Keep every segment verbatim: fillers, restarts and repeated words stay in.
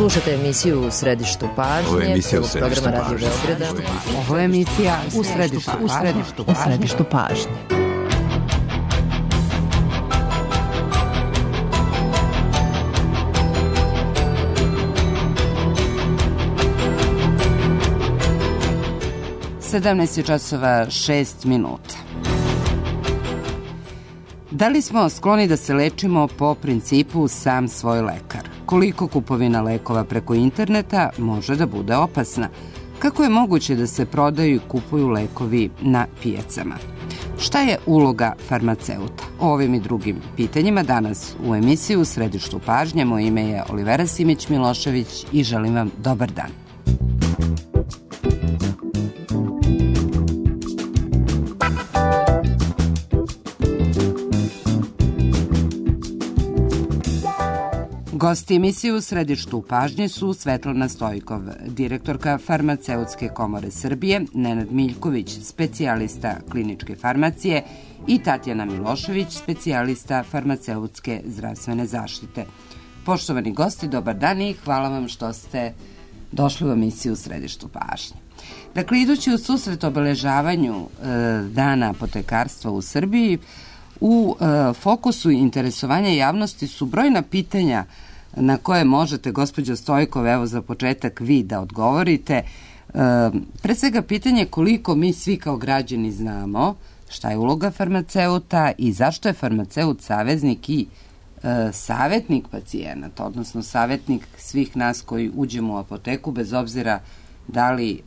Slušajte emisiju U središtu pažnje. Ovo je emisija U središtu programa Radio pažnje. Beograda. Ovo je emisija U središtu, u središtu, u središtu pažnje. sedamnaest je časova šest minuta. Da li smo skloni da se lečimo po principu sam svoj lekar? Koliko kupovina lekova preko interneta može da bude opasna? Kako je moguće da se prodaju i kupuju lekovi na pijacama? Šta je uloga farmaceuta? O ovim i drugim pitanjima danas u emisiji U središtu pažnje. Moje ime je Olivera Simić-Milošević i želim vam dobar dan. Gosti emisije U središtu pažnje su Svetlana Stojkov, direktorka Farmaceutske komore Srbije, Nenad Miljković, specijalista kliničke farmacije i Tatjana Milošević, specijalista farmaceutske zdravstvene zaštite. Poštovani gosti, dobar dan i hvala vam što ste došli u emisiju U središtu pažnje. Dakle, idući u susret obeležavanju e, Dana apotekarstva u Srbiji, u e, fokusu interesovanja javnosti su brojna pitanja na koje možete, gospođo Stojkov, evo za početak vi da odgovorite. E, pre svega pitanje koliko mi svi kao građani znamo šta je uloga farmaceuta i zašto je farmaceut saveznik i e, savjetnik pacijenata, odnosno savjetnik svih nas koji uđemo u apoteku bez obzira da li e,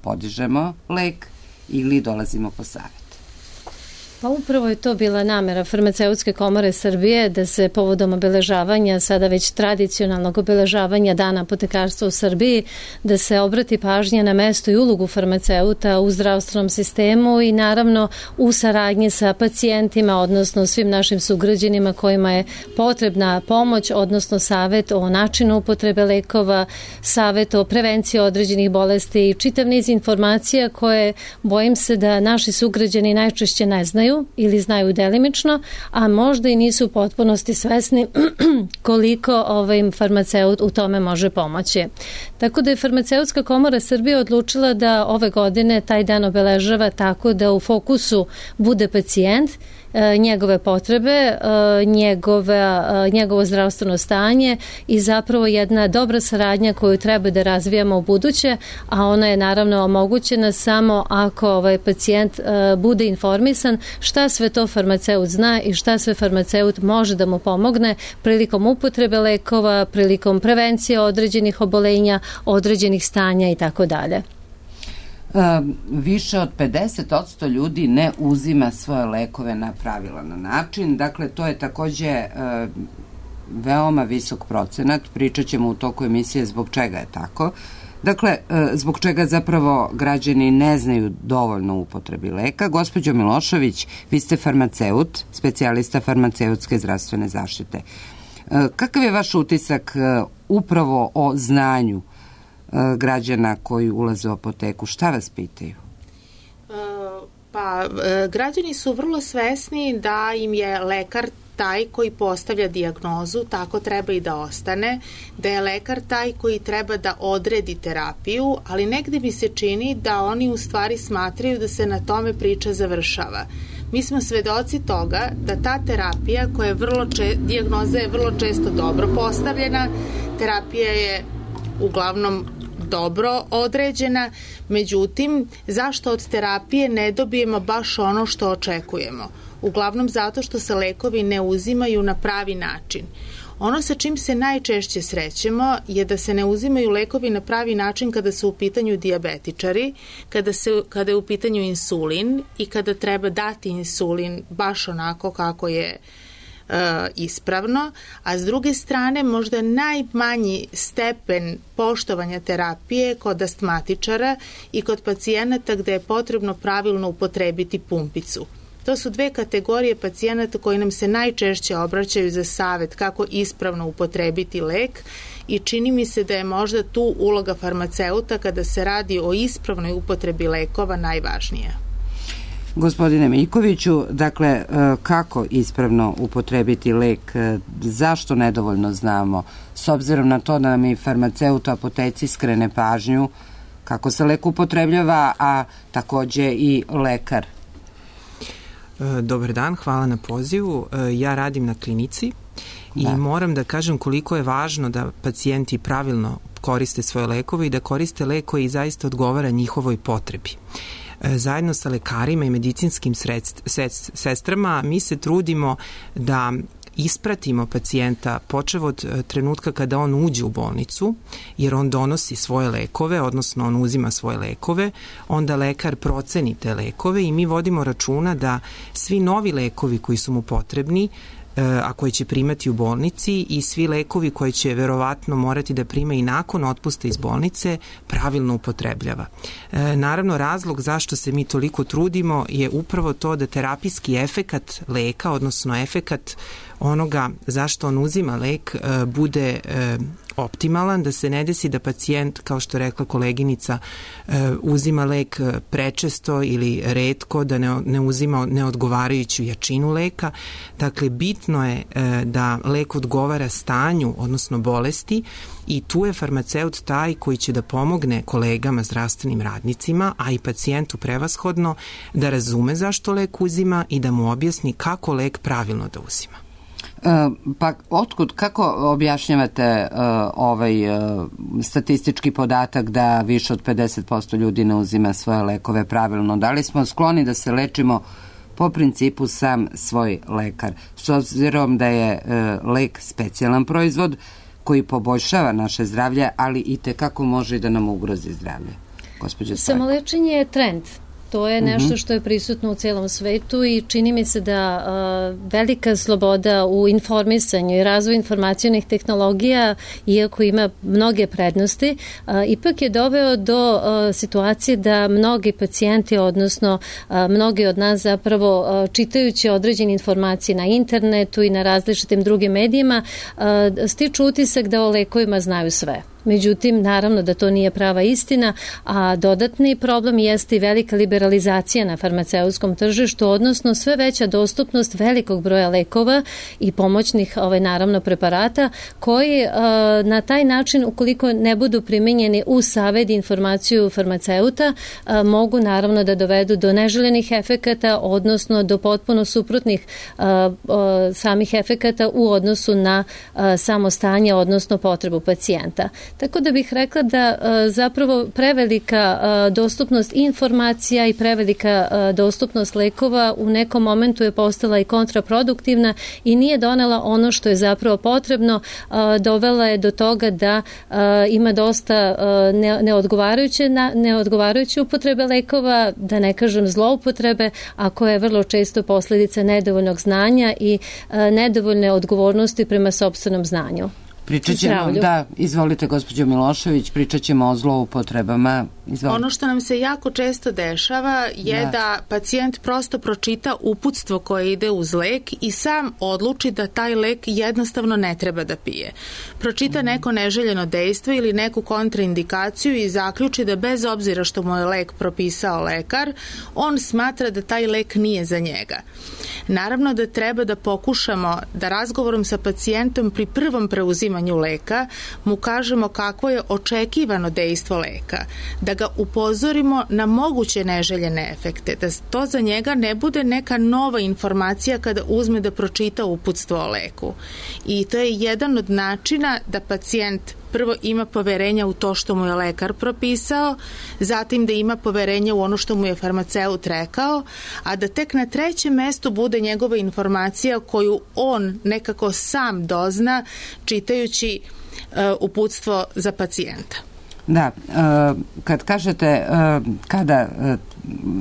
podižemo lek ili dolazimo po savjet. Pa upravo je to bila namera Farmaceutske komore Srbije da se povodom obeležavanja, sada već tradicionalnog obeležavanja Dana apotekarstva u Srbiji, da se obrati pažnja na mesto i ulogu farmaceuta u zdravstvenom sistemu i naravno u saradnji sa pacijentima, odnosno svim našim sugrađanima kojima je potrebna pomoć, odnosno savjet o načinu upotrebe lekova, savjet o prevenciji određenih bolesti i čitav niz informacija koje bojim se da naši sugrađani najčešće ne znaju ili znaju delimično, a možda i nisu u potpunosti svesni koliko ovaj farmaceut u tome može pomoći. Tako da je Farmaceutska komora Srbije odlučila da ove godine taj dan obeležava tako da u fokusu bude pacijent, njegove potrebe, njegove, njegovo zdravstveno stanje i zapravo jedna dobra saradnja koju treba da razvijamo u buduće, a ona je naravno omogućena samo ako ovaj pacijent bude informisan šta sve to farmaceut zna i šta sve farmaceut može da mu pomogne prilikom upotrebe lekova, prilikom prevencije određenih obolenja, određenih stanja i tako dalje. Više od pedeset posto ljudi ne uzima svoje lekove na pravilan način. Dakle, to je takođe e, veoma visok procenat. Pričat ćemo u toku emisije zbog čega je tako. Dakle, e, zbog čega zapravo građani ne znaju dovoljno o upotrebi leka. Gospođo Milošević, vi ste farmaceut, specijalista farmaceutske zdravstvene zaštite. E, kakav je vaš utisak e, upravo o znanju građana koji ulaze u apoteku? Šta vas pitaju? Pa, građani su vrlo svesni da im je lekar taj koji postavlja dijagnozu, tako treba i da ostane, da je lekar taj koji treba da odredi terapiju, ali negde mi se čini da oni u stvari smatraju da se na tome priča završava. Mi smo svedoci toga da ta terapija koja je vrlo če, dijagnoza je vrlo često dobro postavljena, terapija je uglavnom dobro određena, međutim, zašto od terapije ne dobijemo baš ono što očekujemo? Uglavnom zato što se lekovi ne uzimaju na pravi način. Ono sa čim se najčešće srećemo je da se ne uzimaju lekovi na pravi način kada su u pitanju dijabetičari, kada, se, kada je u pitanju insulin i kada treba dati insulin baš onako kako je E, ispravno, a s druge strane možda najmanji stepen poštovanja terapije kod astmatičara i kod pacijenata gde je potrebno pravilno upotrebiti pumpicu. To su dve kategorije pacijenata koji nam se najčešće obraćaju za savet kako ispravno upotrebiti lek i čini mi se da je možda tu uloga farmaceuta kada se radi o ispravnoj upotrebi lekova najvažnija. Gospodine Miljkoviću, dakle, kako ispravno upotrebiti lek, zašto nedovoljno znamo, s obzirom na to da nam i farmaceut u apoteci skrene pažnju kako se lek upotrebljava, a takođe i lekar? Dobar dan, hvala na pozivu. Ja radim na klinici i da. moram da kažem koliko je važno da pacijenti pravilno koriste svoje lekove i da koriste lek koji zaista odgovara njihovoj potrebi. Zajedno sa lekarima i medicinskim sredst, sest, sestrama mi se trudimo da ispratimo pacijenta počev od trenutka kada on uđe u bolnicu, jer on donosi svoje lekove, odnosno on uzima svoje lekove, onda lekar proceni te lekove i mi vodimo računa da svi novi lekovi koji su mu potrebni, a koje će primati u bolnici, i svi lekovi koje će verovatno morati da prima i nakon otpusta iz bolnice, pravilno upotrebljava. E, naravno, razlog zašto se mi toliko trudimo je upravo to da terapijski efekat leka, odnosno efekat onoga zašto on uzima lek, e, bude e, optimalan, da se ne desi da pacijent, kao što je rekla koleginica, uzima lek prečesto ili retko, da ne, ne uzima neodgovarajuću jačinu leka. Dakle, bitno je da lek odgovara stanju, odnosno bolesti, i tu je farmaceut taj koji će da pomogne kolegama, zdravstvenim radnicima, a i pacijentu prevashodno, da razume zašto lek uzima i da mu objasni kako lek pravilno da uzima. Pa otkud, kako objašnjavate uh, ovaj uh, statistički podatak da više od pedeset posto ljudi ne uzima svoje lekove pravilno? Da li smo skloni da se lečimo po principu sam svoj lekar? S obzirom da je uh, lek specijalan proizvod koji poboljšava naše zdravlje, ali i tekako može da nam ugrozi zdravlje. Gospođa Stojko. Samolečenje je trend. To je nešto što je prisutno u celom svetu i čini mi se da uh, velika sloboda u informisanju i razvoju informacionih tehnologija, iako ima mnoge prednosti, uh, ipak je doveo do uh, situacije da mnogi pacijenti, odnosno uh, mnogi od nas zapravo uh, čitajući određene informacije na internetu i na različitim drugim medijima, uh, stiču utisak da o lekovima znaju sve. Međutim, naravno da to nije prava istina, a dodatni problem jeste i velika liberalizacija na farmaceutskom tržištu, odnosno sve veća dostupnost velikog broja lekova i pomoćnih, ovaj, naravno, preparata, koji uh, na taj način, ukoliko ne budu primenjeni u savjet i informaciju farmaceuta, uh, mogu naravno da dovedu do neželjenih efekata, odnosno do potpuno suprotnih uh, uh, samih efekata u odnosu na uh, samo stanje, odnosno potrebu pacijenta. Tako da bih rekla da zapravo prevelika dostupnost informacija i prevelika dostupnost lekova u nekom momentu je postala i kontraproduktivna i nije donela ono što je zapravo potrebno, dovela je do toga da ima dosta neodgovarajuće, neodgovarajuće upotrebe lekova, da ne kažem zloupotrebe, a koja je vrlo često posljedica nedovoljnog znanja i nedovoljne odgovornosti prema sopstvenom znanju. Pričat ćemo, da, izvolite gospođo Milošević, pričat ćemo o zloupotrebama. Izvolite. Ono što nam se jako često dešava je da. da pacijent prosto pročita uputstvo koje ide uz lek i sam odluči da taj lek jednostavno ne treba da pije. Pročita mm. neko neželjeno dejstvo ili neku kontraindikaciju i zaključi da bez obzira što mu je lek propisao lekar, on smatra da taj lek nije za njega. Naravno da treba da pokušamo da razgovorom sa pacijentom pri prvom preuzimanju leka mu kažemo kakvo je očekivano dejstvo leka, da ga upozorimo na moguće neželjene efekte, da to za njega ne bude neka nova informacija kada uzme da pročita uputstvo o leku. I to je jedan od načina da pacijent prvo ima poverenja u to što mu je lekar propisao, zatim da ima poverenja u ono što mu je farmaceut rekao, a da tek na trećem mestu bude njegova informacija koju on nekako sam dozna čitajući uh, uputstvo za pacijenta. Da, kad kažete kada,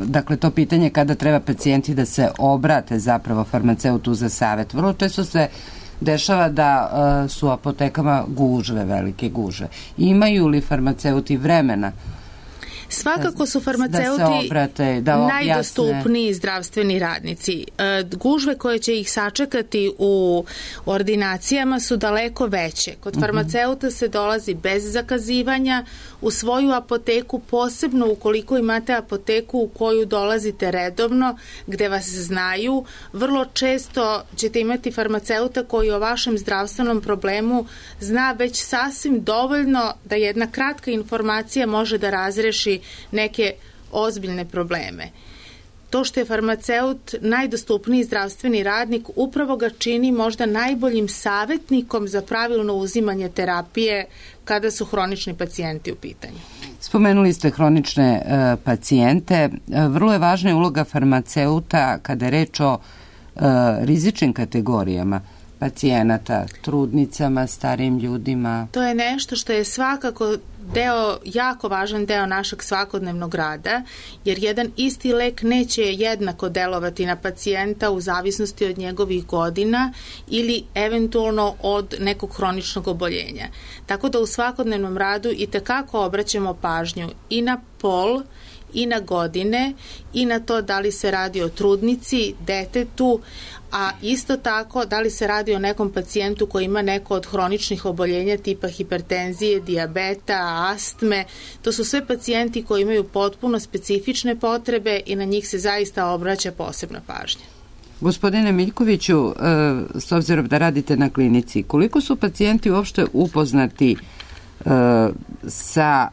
dakle to pitanje kada treba pacijenti da se obrate zapravo farmaceutu za savjet, vrlo često se dešava da su u apotekama gužve, velike gužve. Imaju li farmaceuti vremena Svakako su farmaceuti da se obrate, da objasne. Najdostupniji zdravstveni radnici. Gužve koje će ih sačekati u ordinacijama su daleko veće. Kod farmaceuta se dolazi bez zakazivanja u svoju apoteku, posebno ukoliko imate apoteku u koju dolazite redovno, gde vas znaju. Vrlo često ćete imati farmaceuta koji o vašem zdravstvenom problemu zna već sasvim dovoljno da jedna kratka informacija može da razreši neke ozbiljne probleme. To što je farmaceut najdostupniji zdravstveni radnik upravo ga čini možda najboljim savjetnikom za pravilno uzimanje terapije kada su hronični pacijenti u pitanju. Spomenuli ste hronične e, pacijente. E, vrlo je važna je uloga farmaceuta kada je reč o e, rizičnim kategorijama pacijenata, trudnicama, starijim ljudima. To je nešto što je svakako deo, jako važan deo našeg svakodnevnog rada, jer jedan isti lek neće jednako delovati na pacijenta u zavisnosti od njegovih godina ili eventualno od nekog hroničnog oboljenja. Tako da u svakodnevnom radu i tekako obraćamo pažnju i na pol, i na godine, i na to da li se radi o trudnici, detetu, a isto tako da li se radi o nekom pacijentu koji ima neko od hroničnih oboljenja tipa hipertenzije, dijabeta, astme. To su sve pacijenti koji imaju potpuno specifične potrebe i na njih se zaista obraća posebna pažnja. Gospodine Miljkoviću, s obzirom da radite na klinici, koliko su pacijenti uopšte upoznati sa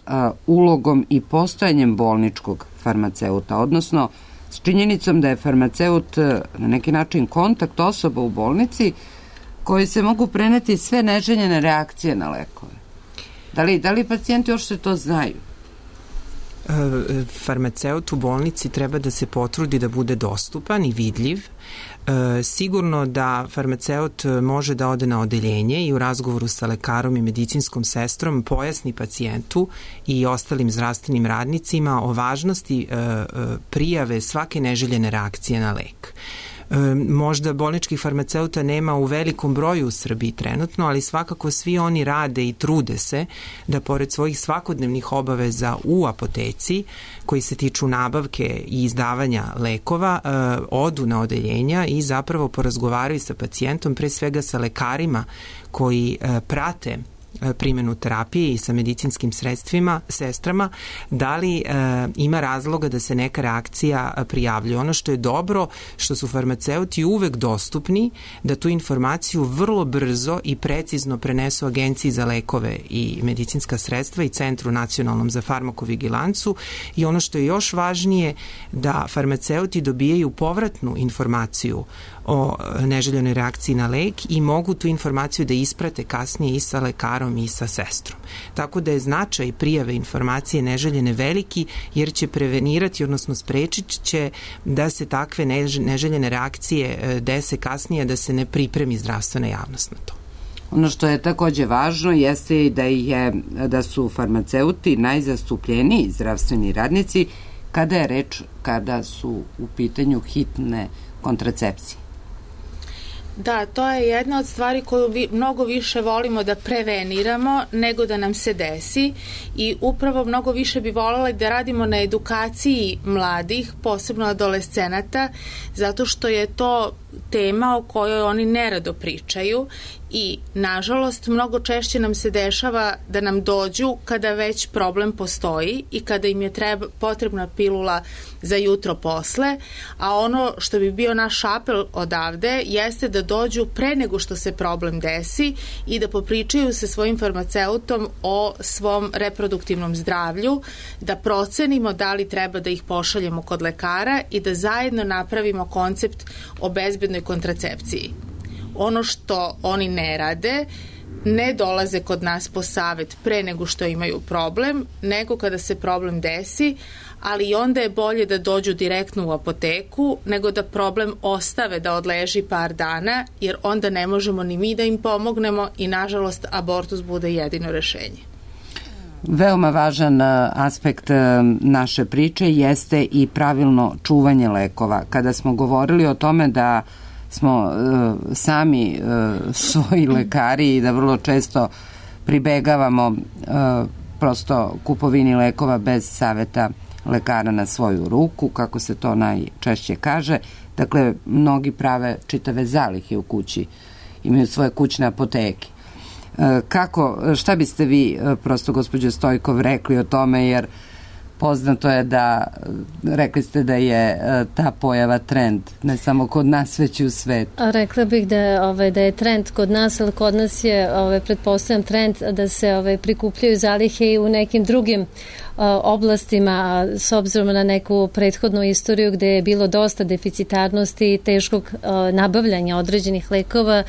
ulogom i postojanjem bolničkog farmaceuta, odnosno s činjenicom da je farmaceut na neki način kontakt osoba u bolnici koji se mogu preneti sve neželjene reakcije na lekove. Da li, da li pacijenti uopšte to znaju? Farmaceut u bolnici treba da se potrudi da bude dostupan i vidljiv. E, sigurno da farmaceut može da ode na odeljenje i u razgovoru sa lekarom i medicinskom sestrom pojasni pacijentu i ostalim zdravstvenim radnicima o važnosti e, e, prijave svake neželjene reakcije na lek. Možda bolničkih farmaceuta nema u velikom broju u Srbiji trenutno, ali svakako svi oni rade i trude se da pored svojih svakodnevnih obaveza u apoteci, koji se tiču nabavke i izdavanja lekova, odu na odeljenja i zapravo porazgovaraju sa pacijentom, pre svega sa lekarima koji prate primjenu terapije i sa medicinskim sredstvima, sestrama, da li e, ima razloga da se neka reakcija prijavljuje. Ono što je dobro, što su farmaceuti uvek dostupni, da tu informaciju vrlo brzo i precizno prenesu Agenciji za lekove i medicinska sredstva i Centru nacionalnom za farmakovigilancu, i ono što je još važnije, da farmaceuti dobijaju povratnu informaciju o neželjenoj reakciji na lek i mogu tu informaciju da isprate kasnije i sa lekarom i sa sestrom. Tako da je značaj prijave informacije neželjene veliki, jer će prevenirati, odnosno sprečit će da se takve neželjene reakcije dese kasnije, da se ne pripremi zdravstvena javnost na to. Ono što je takođe važno jeste da, je, da su farmaceuti najzastupljeniji zdravstveni radnici kada je reč, kada su u pitanju hitne kontracepcije. Da, to je jedna od stvari koju vi, mnogo više volimo da preveniramo nego da nam se desi, i upravo mnogo više bi voljela da radimo na edukaciji mladih, posebno adolescenata, zato što je to tema o kojoj oni nerado pričaju i, nažalost, mnogo češće nam se dešava da nam dođu kada već problem postoji i kada im je treba, potrebna pilula za jutro posle, a ono što bi bio naš apel odavde jeste da dođu pre nego što se problem desi i da popričaju sa svojim farmaceutom o svom reproduktivnom zdravlju, da procenimo da li treba da ih pošaljemo kod lekara i da zajedno napravimo koncept o bezbednoj kontracepciji. Ono što oni ne rade, ne dolaze kod nas po savet pre nego što imaju problem, nego kada se problem desi, ali i onda je bolje da dođu direktno u apoteku nego da problem ostave da odleži par dana, jer onda ne možemo ni mi da im pomognemo i, nažalost, abortus bude jedino rešenje. Veoma važan aspekt naše priče jeste i pravilno čuvanje lekova. Kada smo govorili o tome da smo uh, sami uh, svoji lekari i da vrlo često pribegavamo uh, prosto kupovini lekova bez saveta lekara na svoju ruku, kako se to najčešće kaže. Dakle, mnogi prave čitave zalihe u kući, imaju svoje kućne apoteke. Kako, šta biste vi, prosto, gospođo Stojkov, rekli o tome, jer poznato je da, rekli ste da je ta pojava trend, ne samo kod nas, već i u svetu. Rekla bih da, ovaj, da je trend kod nas, ali kod nas je, ovaj, pretpostavljam, trend da se ovaj, prikupljaju zalihe i u nekim drugim oblastima, s obzirom na neku prethodnu istoriju gde je bilo dosta deficitarnosti i teškog nabavljanja određenih lekova.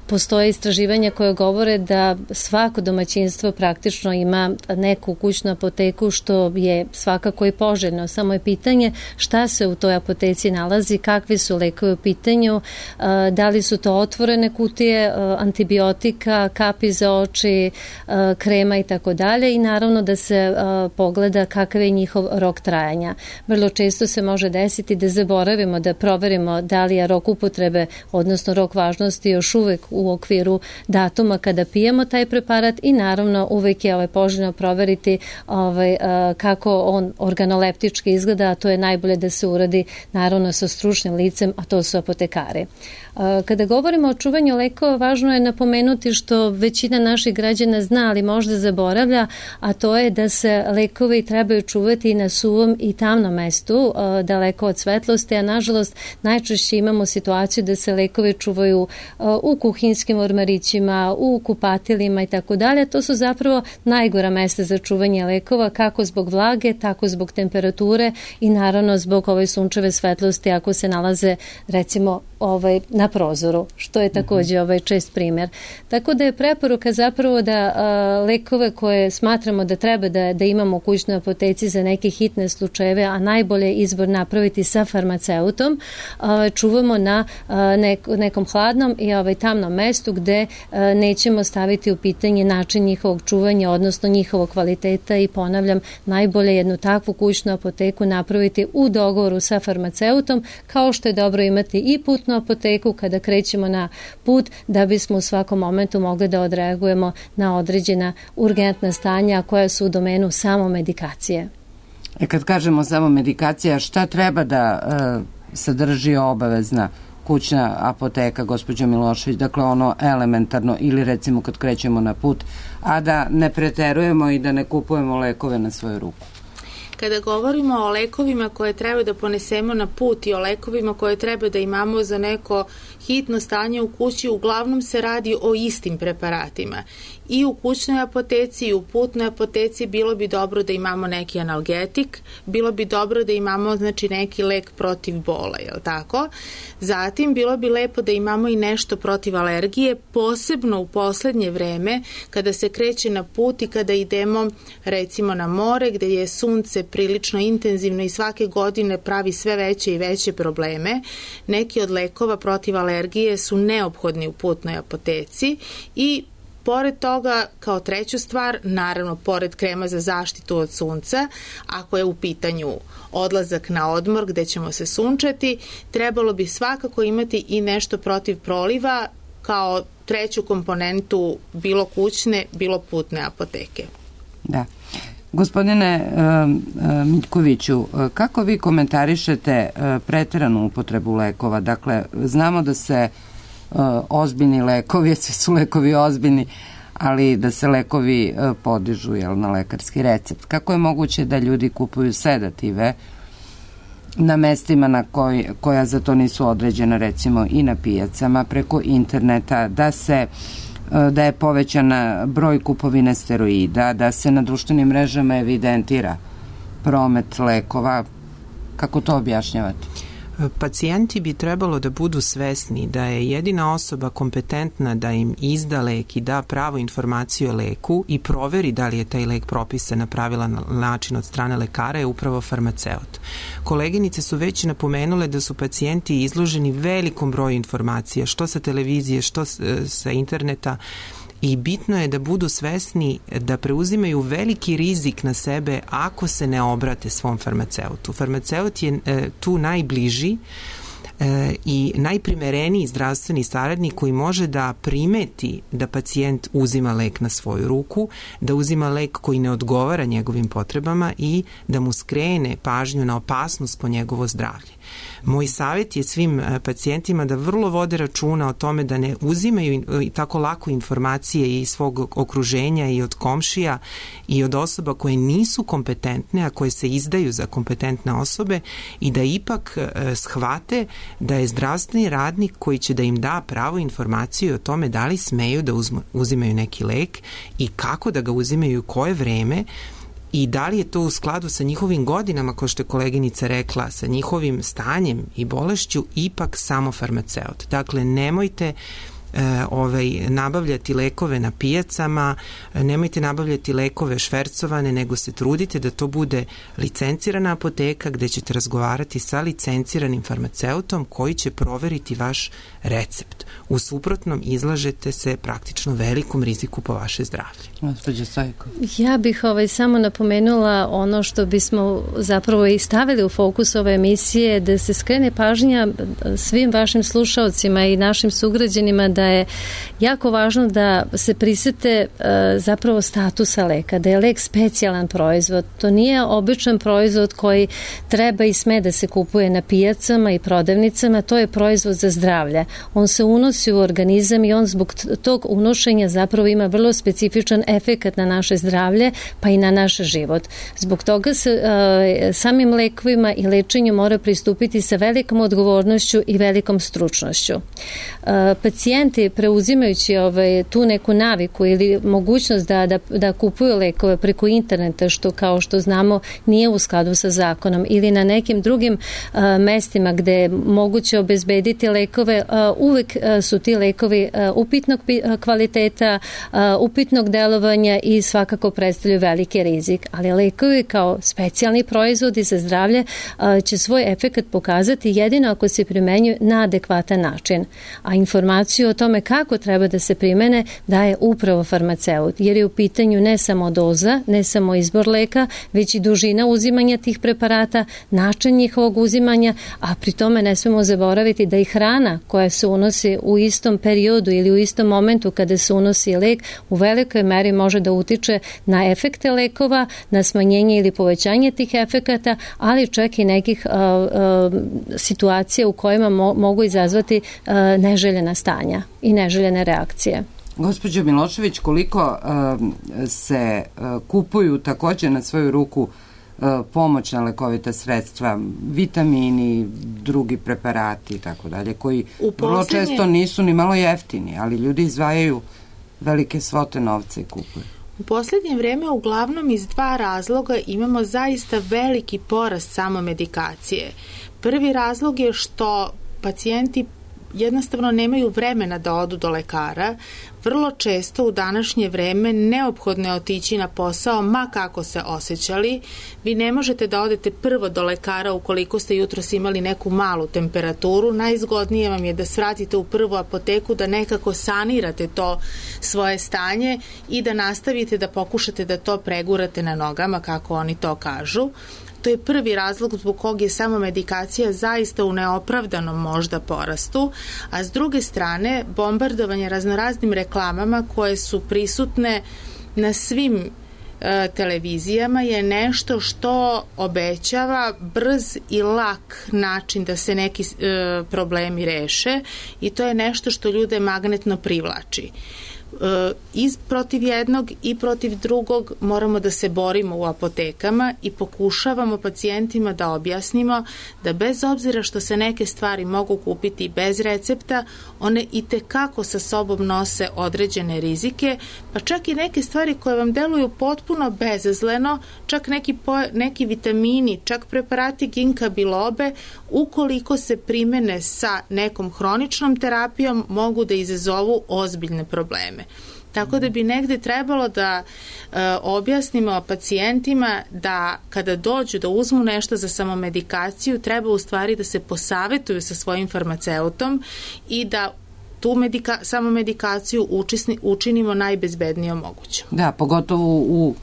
Postoje istraživanja koje govore da svako domaćinstvo praktično ima neku kućnu apoteku, što je svakako i poželjno. Samo je pitanje šta se u toj apoteci nalazi, kakvi su lekovi u pitanju, da li su to otvorene kutije antibiotika, kapi za oči, krema i tako dalje, i naravno da se pogleda kakav je njihov rok trajanja. Vrlo često se može desiti da zaboravimo da proverimo da li je rok upotrebe, odnosno rok važnosti, još uvek u okviru datuma kada pijemo taj preparat, i naravno uvek je ovaj, poželjno proveriti ovaj, kako on organoleptički izgleda, a to je najbolje da se uradi naravno sa stručnim licem, a to su apotekari. Kada govorimo o čuvanju lekova, važno je napomenuti što većina naših građana zna, ali možda zaboravlja, a to je da se lekovi trebaju čuvati na suvom i tamnom mestu, daleko od svetlosti, a nažalost najčešće imamo situaciju da se lekovi čuvaju u kuhinskim ormarićima, u kupatilima i tako dalje. To su zapravo najgora mesta za čuvanje lekova, kako zbog vlage, tako zbog temperature i naravno zbog ove sunčeve svetlosti ako se nalaze recimo ovaj, na prozoru, što je također ovaj čest primjer. Tako da je preporuka zapravo da a, lekove koje smatramo da treba da, da imamo u kućnoj apoteci za neke hitne slučajeve, a najbolje izbor napraviti sa farmaceutom, a, čuvamo na a, nek, nekom hladnom i ovaj, tamnom mestu gde a, nećemo staviti u pitanje način njihovog čuvanja, odnosno njihovog kvaliteta, i ponavljam, najbolje jednu takvu kućnu apoteku napraviti u dogovoru sa farmaceutom, kao što je dobro imati i putnu apoteku kada krećemo na put, da bismo u svakom momentu mogli da odreagujemo na određena urgentna stanja koja su u domenu samo medikacije. E kad kažemo samo medikacija, šta treba da e, sadrži obavezna kućna apoteka, gospođo Milošević, dakle ono elementarno, ili recimo kad krećemo na put, a da ne preterujemo i da ne kupujemo lekove na svoju ruku? Kada govorimo o lekovima koje treba da ponesemo na put i o lekovima koje treba da imamo za neko hitno stanje u kući, uglavnom se radi o istim preparatima. I u kućnoj apoteci i u putnoj apoteci bilo bi dobro da imamo neki analgetik, bilo bi dobro da imamo znači neki lek protiv bola, je li tako? Zatim bilo bi lepo da imamo i nešto protiv alergije, posebno u poslednje vreme kada se kreće na put i kada idemo recimo na more gde je sunce prilično intenzivno i svake godine pravi sve veće i veće probleme. Neki od lekova protiv alergije su neophodni u putnoj apoteci i pored toga, kao treću stvar, naravno, pored krema za zaštitu od sunca, ako je u pitanju odlazak na odmor gde ćemo se sunčati, trebalo bi svakako imati i nešto protiv proliva kao treću komponentu bilo kućne, bilo putne apoteke. Da. Gospodine uh, Miljkoviću, kako vi komentarišete uh, preteranu upotrebu lekova? Dakle, znamo da se uh, ozbiljni lekovi, svi su lekovi ozbiljni, ali da se lekovi uh, podižu jel, na lekarski recept. Kako je moguće da ljudi kupuju sedative na mestima na koj, koja za to nisu određena, recimo i na pijacama, preko interneta, da se da je povećan broj kupovine steroida, da se na društvenim mrežama evidentira promet lekova? Kako to objašnjavate? Pacijenti bi trebalo da budu svesni da je jedina osoba kompetentna da im izda lek i da pravu informaciju o leku i proveri da li je taj lek propisan na pravilan način od strane lekara je upravo farmaceut. Koleginice su već napomenule da su pacijenti izloženi velikom broju informacija, što sa televizije, što sa interneta, i bitno je da budu svesni da preuzimaju veliki rizik na sebe ako se ne obrate svom farmaceutu. Farmaceut je e, tu najbliži, e, i najprimereniji zdravstveni saradnik koji može da primeti da pacijent uzima lek na svoju ruku, da uzima lek koji ne odgovara njegovim potrebama i da mu skrene pažnju na opasnost po njegovo zdravlje. Moj savjet je svim pacijentima da vrlo vode računa o tome da ne uzimaju tako lako informacije iz svog okruženja i od komšija i od osoba koje nisu kompetentne, a koje se izdaju za kompetentne osobe, i da ipak shvate da je zdravstveni radnik koji će da im da pravu informaciju o tome da li smeju da uzmu, uzimaju neki lek i kako da ga uzimaju i u koje vreme, i da li je to u skladu sa njihovim godinama, kao što je koleginica rekla, sa njihovim stanjem i bolešću, ipak samo farmaceut. Dakle, nemojte E, ovaj, nabavljati lekove na pijacama, nemojte nabavljati lekove švercovane, nego se trudite da to bude licencirana apoteka gde ćete razgovarati sa licenciranim farmaceutom koji će proveriti vaš recept. U suprotnom izlažete se praktično velikom riziku po vaše zdravlje. Gospođa Stojkov. Ja bih ovaj, samo napomenula ono što bismo zapravo i stavili u fokus ove emisije, da se skrene pažnja svim vašim slušaocima i našim sugrađanima da je jako važno da se prisete uh, zapravo statusa leka, da je lek specijalan proizvod. To nije običan proizvod koji treba i sme da se kupuje na pijacama i prodavnicama, to je proizvod za zdravlje. On se unosi u organizam i on zbog tog unošenja zapravo ima vrlo specifičan efekat na naše zdravlje, pa i na naš život. Zbog toga se uh, samim lekovima i lečenju mora pristupiti sa velikom odgovornošću i velikom stručnošću. Uh, pacijenti preuzimajući ovaj, tu neku naviku ili mogućnost da, da, da kupuju lekove preko interneta, što kao što znamo nije u skladu sa zakonom, ili na nekim drugim uh, mestima gde je moguće obezbediti lekove, uh, uvek uh, su ti lekovi uh, upitnog kvaliteta, uh, upitnog delovanja i svakako predstavljaju veliki rizik. Ali lekovi kao specijalni proizvodi za zdravlje uh, će svoj efekat pokazati jedino ako se primenjuju na adekvatan način. A informaciju o tome kako treba da se primene daje upravo farmaceut, jer je u pitanju ne samo doza, ne samo izbor leka, već i dužina uzimanja tih preparata, način njihovog uzimanja, a pri tome ne smemo zaboraviti da i hrana koja se unosi u istom periodu ili u istom momentu kada se unosi lek u velikoj meri može da utiče na efekte lekova, na smanjenje ili povećanje tih efekata, ali čak i nekih uh, uh, situacija u kojima mo mogu izazvati uh, neželjena stanja i neželjene reakcije. Gospođo Milošević, koliko uh, se uh, kupuju takođe na svoju ruku uh, pomoćna lekovita sredstva, vitamini, drugi preparati i tako dalje, koji vrlo često nisu ni malo jeftini, ali ljudi izdvajaju velike svote novca i kupuju. U poslednje vreme uglavnom iz dva razloga imamo zaista veliki porast samomedikacije. Prvi razlog je što pacijenti jednostavno nemaju vremena da odu do lekara. Vrlo često u današnje vreme neophodno je otići na posao, ma kako se osjećali. Vi ne možete da odete prvo do lekara ukoliko ste jutros imali neku malu temperaturu. Najzgodnije vam je da svratite u prvu apoteku, da nekako sanirate to svoje stanje i da nastavite da pokušate da to pregurate na nogama, kako oni to kažu. To je prvi razlog zbog kog je samomedikacija zaista u neopravdanom možda porastu, a s druge strane bombardovanje raznoraznim reklamama koje su prisutne na svim e, televizijama je nešto što obećava brz i lak način da se neki e, problemi reše, i to je nešto što ljude magnetno privlači. I protiv jednog i protiv drugog moramo da se borimo u apotekama i pokušavamo pacijentima da objasnimo da bez obzira što se neke stvari mogu kupiti bez recepta, one i tekako sa sobom nose određene rizike, pa čak i neke stvari koje vam deluju potpuno bezazleno, čak neki, po, neki vitamini, čak preparati ginka bilobe, ukoliko se primene sa nekom hroničnom terapijom, mogu da izazovu ozbiljne probleme. Tako da bi negde trebalo da e, objasnimo pacijentima da kada dođu da uzmu nešto za samomedikaciju, treba u stvari da se posavetuju sa svojim farmaceutom i da tu medika, samomedikaciju učisni, učinimo najbezbednijom mogućom. Da, pogotovo u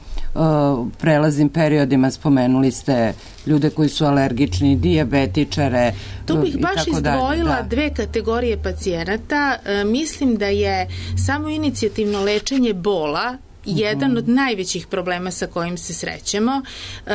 prelaznim periodima, spomenuli ste ljude koji su alergični, dijabetičare. Tu bih baš izdvojila da. dve kategorije pacijenata. E, mislim da je samo inicijativno lečenje bola jedan od najvećih problema sa kojim se srećemo. E,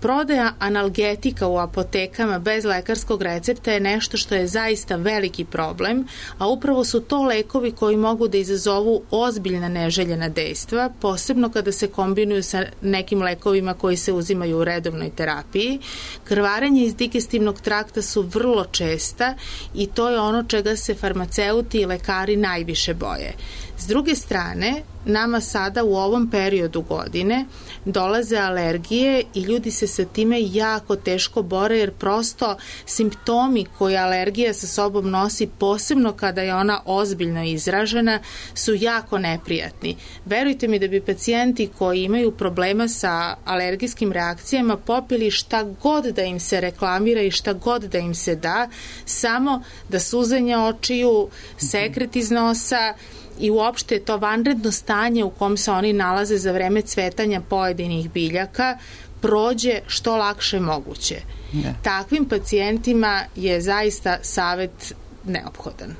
prodaja analgetika u apotekama bez lekarskog recepta je nešto što je zaista veliki problem, a upravo su to lekovi koji mogu da izazovu ozbiljna neželjena dejstva, posebno kada se kombinuju sa nekim lekovima koji se uzimaju u redovnoj terapiji. Krvarenje iz digestivnog trakta su vrlo česta i to je ono čega se farmaceuti i lekari najviše boje. S druge strane, nama sada u ovom periodu godine dolaze alergije i ljudi se sa time jako teško bore, jer prosto simptomi koje alergija sa sobom nosi, posebno kada je ona ozbiljno izražena, su jako neprijatni. Verujte mi da bi pacijenti koji imaju problema sa alergijskim reakcijama popili šta god da im se reklamira i šta god da im se da, samo da suzanje očiju, sekret iz nosa i uopšte to vanredno stanje u kom se oni nalaze za vreme cvetanja pojedinih biljaka prođe što lakše moguće. Ne. Takvim pacijentima je zaista savet neophodan.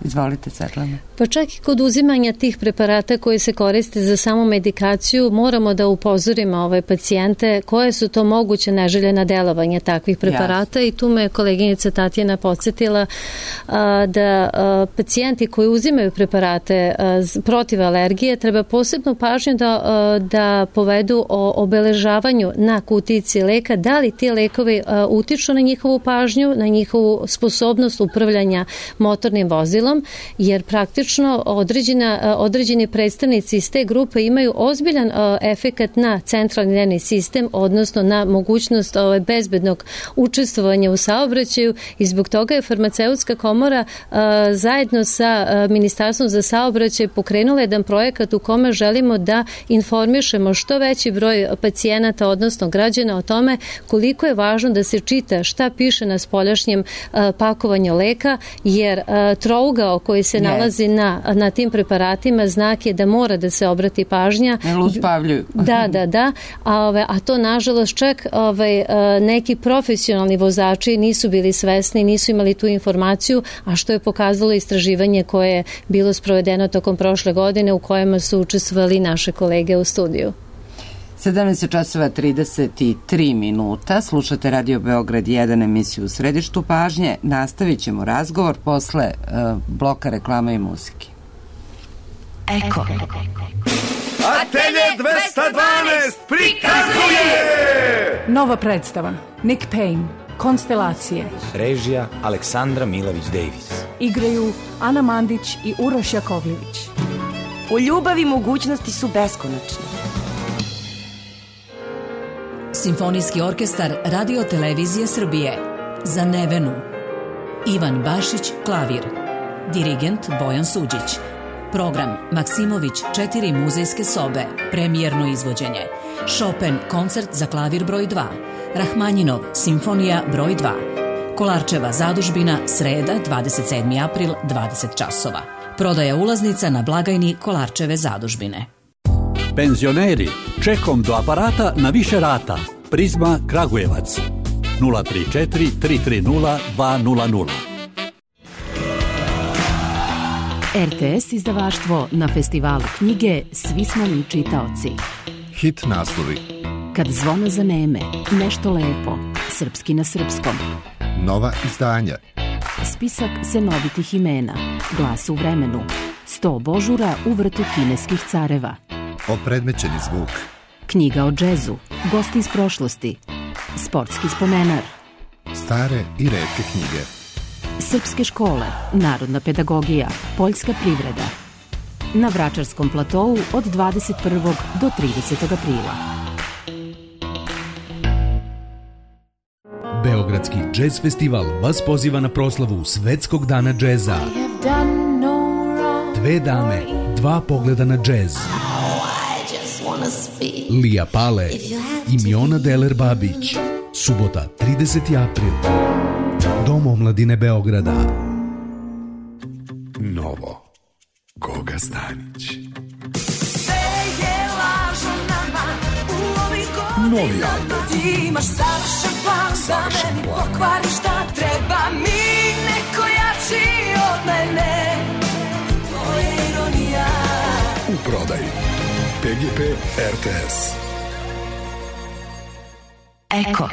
Izvolite, Svetlana. Pa čak i kod uzimanja tih preparata koji se koriste za samu medikaciju moramo da upozorimo ove pacijente koje su to moguće neželjena delovanja takvih preparata. Yes. I tu me koleginica Tatjana podsjetila a, da a, pacijenti koji uzimaju preparate a, protiv alergije treba posebnu pažnju da, a, da povedu o obeležavanju na kutici leka, da li ti lekovi a, utiču na njihovu pažnju, na njihovu sposobnost upravljanja motornim vozilom, jer praktično određena, određeni predstavnici iz te grupe imaju ozbiljan efekat na centralni nervni sistem, odnosno na mogućnost ovaj, bezbednog učestvovanja u saobraćaju, i zbog toga je farmaceutska komora a, zajedno sa a, Ministarstvom za saobraćaj pokrenula jedan projekat u kome želimo da informišemo što veći broj pacijenata, odnosno građana, o tome koliko je važno da se čita šta piše na spoljašnjem a, pakovanju leka, jer a, trouga koji se nalazi na, na tim preparatima znak je da mora da se obrati pažnja. Ne uspavljuju. Da, da, da. A, ove, a to nažalost čak ove, neki profesionalni vozači nisu bili svesni, nisu imali tu informaciju, a što je pokazalo istraživanje koje je bilo sprovedeno tokom prošle godine u kojima su učestvovali naše kolege u studiju. sedamnaest časova trideset tri minuta, slušate Radio Beograd jedan, emisiju u središtu pažnje. Nastavit ćemo razgovor posle uh, bloka reklama i muzike. Eko. Atelje dvesta dvanaest prikazuje nova predstava Nick Payne, Konstelacije. Režija Aleksandra Milović-Davis. Igraju Ana Mandić i Uroš Jakovljević. U ljubavi mogućnosti su beskonačne. Simfonijski orkestar Radio Televizije Srbije. Za Nevenu. Ivan Bašić, klavir. Dirigent Bojan Suđić. Program Maksimović četiri muzejske sobe. Premijerno izvođenje. Chopin koncert za klavir broj dva. Rahmanjinov Simfonija broj dva. Kolarčeva zadužbina, sreda, dvadeset sedmi april, dvadeset časova. Prodaja ulaznica na blagajni Kolarčeve zadužbine. Penzioneri, čekom do aparata na više rata. Prizma Kragujevac. nula tri četiri tri tri nula dva nula nula. R T S izdavaštvo na festivalu knjige Svi smo mi čitaoci. Hit naslovi. Kad zvona zaneme, nešto lepo, srpski na srpskom. Nova izdanja. Spisak senovitih imena, Glas u vremenu, sto božura u vrtu kineskih careva. Opredmećeni zvuk. Knjiga o džezu, gosti iz prošlosti, sportski spomenar. Stare i retke knjige. Srpske škole, narodna pedagogija, poljska privreda. Na Vračarskom platovu od dvadeset prvog do tridesetog aprila. Beogradski džez festival vas poziva na proslavu Svetskog dana džeza. Dve dame, dva pogleda na džez. Lija Pale i Miona Deler Babić. Subota, trideseti april. Dom omladine Beograda. Novo. Goga Stanić. Novi album. Ti imaš savršen plan da meni pokvariš šta treba mi, neko jači od mene. To je ironija. U prodaji P G P R T S. Eko.